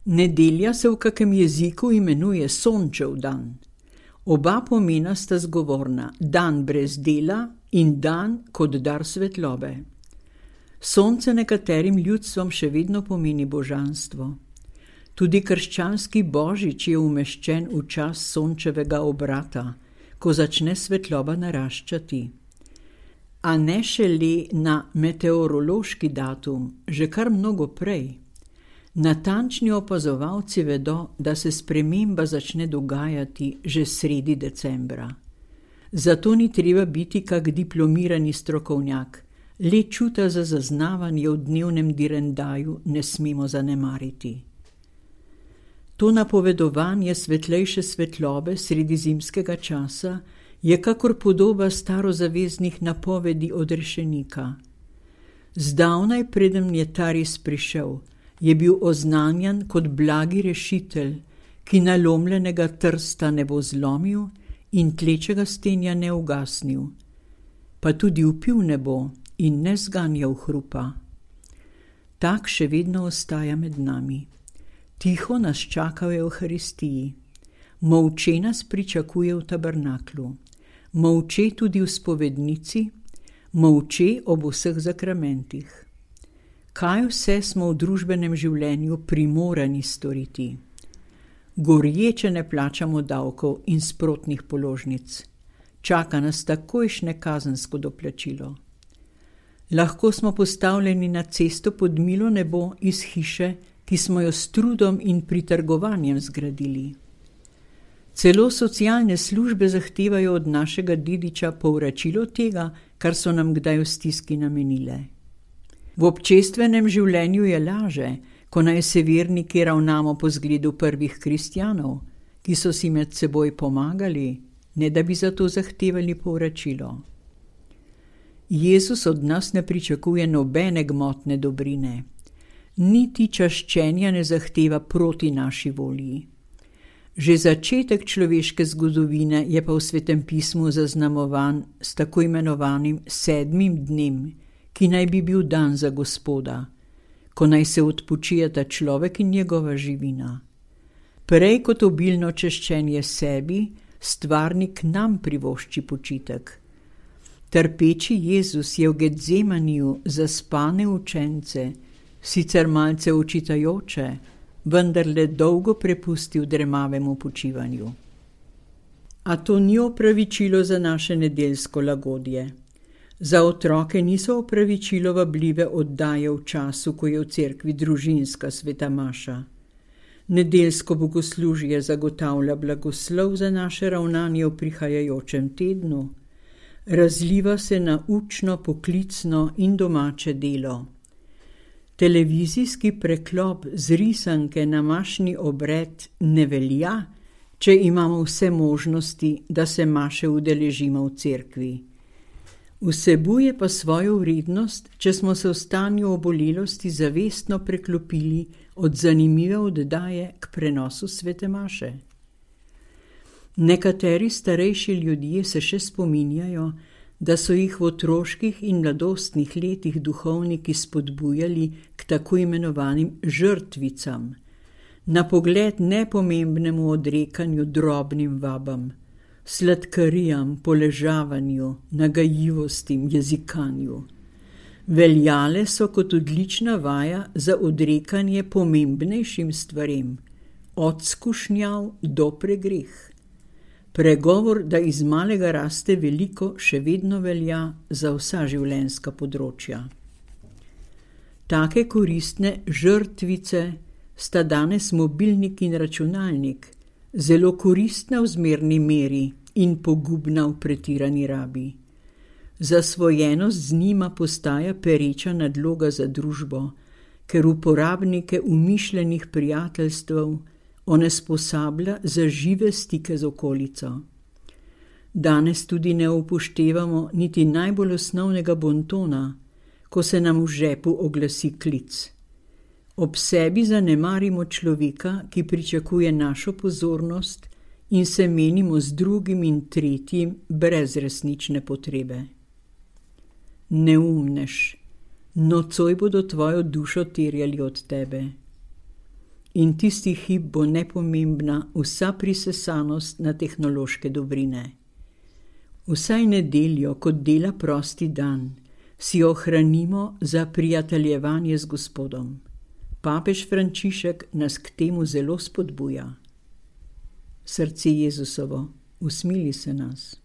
Nedelja se v kakem jeziku imenuje sončev dan. Oba pomena sta zgovorna, dan brez dela in dan kot dar svetlobe. Sonce nekaterim ljudstvom še vedno pomeni božanstvo. Tudi krščanski božič je umeščen v čas sončevega obrata, ko začne svetloba naraščati. A ne šele na meteorološki datum, že kar mnogo prej. Natančni opazovalci vedo, da se sprememba začne dogajati že sredi decembra. Zato ni treba biti kak diplomirani strokovnjak, le čuta za zaznavanje v dnevnem direndaju ne smemo zanemariti. To napovedovanje svetlejše svetlobe sredi zimskega časa je kakor podoba starozaveznih napovedi odrešenika. Zdavnaj, preden je ta res prišel, je bil oznanjan kot blagi rešitelj, ki nalomljenega trsta ne bo zlomil in tlečega stenja ne ugasnil, pa tudi vpil ne bo in ne zganjal hrupa. Tak še vedno ostaja med nami. Tiho nas čaka v Evharistiji. Molče nas pričakuje v tabernaklu. Molče tudi v spovednici, molče ob vseh zakramentih. Kaj vse smo v družbenem življenju primorani storiti? Gorječe ne plačamo davkov in sprotnih položnic. Čaka nas takojšnje kazensko doplačilo. Lahko smo postavljeni na cesto pod milo nebo iz hiše, ki smo jo s trudom in pritrgovanjem zgradili. Celo socialne službe zahtevajo od našega dediča povračilo tega, kar so nam kdaj v stiski namenile. V občestvenem življenju je laže, ko naj se verniki ravnamo po zgledu prvih kristjanov, ki so si med seboj pomagali, ne da bi za to zahtevali povračilo. Jezus od nas ne pričakuje nobene gmotne dobrine. Niti čaščenja ne zahteva proti naši volji. Že začetek človeške zgodovine je pa v Svetem pismu zaznamovan s tako imenovanim 7. dnem, ki naj bi bil dan za Gospoda, ko naj se odpočijeta človek in njegova živina. Prej kot obilno čaščenje sebi, stvarnik nam privošči počitek. Trpeči Jezus je v Getzemaniju zaspane učence, sicer malce očitajoče, vendar le dolgo prepustil dremavemu počivanju. A to ni opravičilo za naše nedeljsko lagodje. Za otroke niso opravičilo vabljive oddaje v času, ko je v cerkvi družinska sveta maša. Nedeljsko bogoslužje zagotavlja blagoslov za naše ravnanje v prihajajočem tednu. Razliva se na učno, poklicno in domače delo. Televizijski preklop z risanke na mašni obred ne velja, če imamo vse možnosti, da se maše udeležimo v cerkvi. Vsebuje pa svojo vrednost, če smo se v stanju obolelosti zavestno preklopili od zanimive oddaje k prenosu svete maše. Nekateri starejši ljudje se še spominjajo, da so jih v otroških in mladostnih letih duhovniki spodbujali k tako imenovanim žrtvicam, na pogled nepomembnemu odrekanju drobnim vabam, sladkarijam, poležavanju, nagajivostim, jezikanju. Veljale so kot odlična vaja za odrekanje pomembnejšim stvarem, od skušnjav do pregreh. Pregovor, da iz malega raste veliko, še vedno velja za vsa življenjska področja. Take koristne žrtvice sta danes mobilnik in računalnik, zelo koristna v zmerni meri in pogubna v pretirani rabi. Zasvojenost z njima postaja pereča nadloga za družbo, ker uporabnike umišljenih prijateljstev onesposablja za žive stike z okolico. Danes tudi ne upoštevamo niti najbolj osnovnega bontona, ko se nam v žepu oglasi klic. Ob sebi zanemarimo človeka, ki pričakuje našo pozornost in se menimo z drugim in tretjim brez resnične potrebe. Neumnež, nocoj bodo tvojo dušo terjali od tebe. in tisti hip bo nepomembna vsa prisesanost na tehnološke dobrine. Vsaj nedeljo, kot dela prosti dan, si ohranimo za prijateljevanje z Gospodom. Papež Frančišek nas k temu zelo spodbuja. Srce Jezusovo, usmili se nas.